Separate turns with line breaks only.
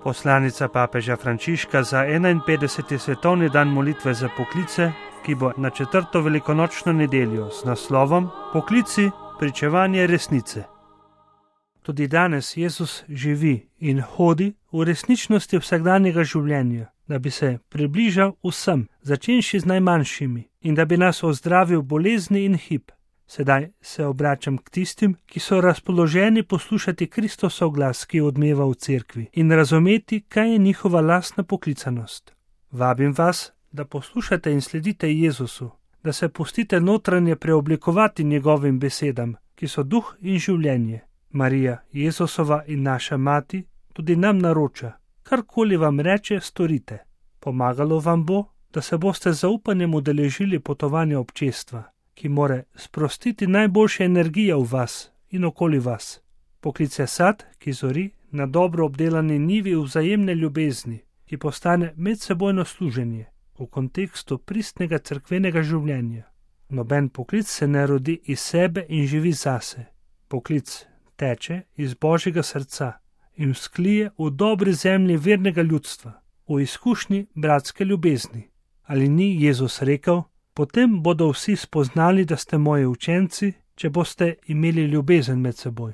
Poslanica papeža Frančiška za 51. svetovni dan molitve za poklice, ki bo na 4. velikonočno nedeljo z naslovom Poklici, pričevanje resnice. Tudi danes Jezus živi in hodi v resničnosti vsakdanjega življenja, da bi se približal vsem, začenši z najmanjšimi, in da bi nas ozdravil bolezni in hip. Sedaj se obračam k tistim, ki so razpoloženi poslušati Kristosov glas, ki odmeva v cerkvi, in razumeti, kaj je njihova lastna poklicanost. Vabim vas, da poslušate in sledite Jezusu, da se pustite notranje preoblikovati njegovim besedam, ki so duh in življenje. Marija, Jezusova in naša mati, tudi nam naroča, karkoli vam reče, storite. Pomagalo vam bo, da se boste z zaupanjem udeležili potovanja občestva, ki more sprostiti najboljše energije v vas in okoli vas. Poklic je sad, ki zori na dobro obdelani njivi vzajemne ljubezni, ki postane medsebojno služenje v kontekstu pristnega cerkvenega življenja. Noben poklic se ne rodi iz sebe in živi zase. Poklic teče iz Božjega srca in vzklije v dobri zemlji vernega ljudstva, v izkušnji bratske ljubezni. Ali ni Jezus rekel: potem bodo vsi spoznali, da ste moji učenci, če boste imeli ljubezen med seboj.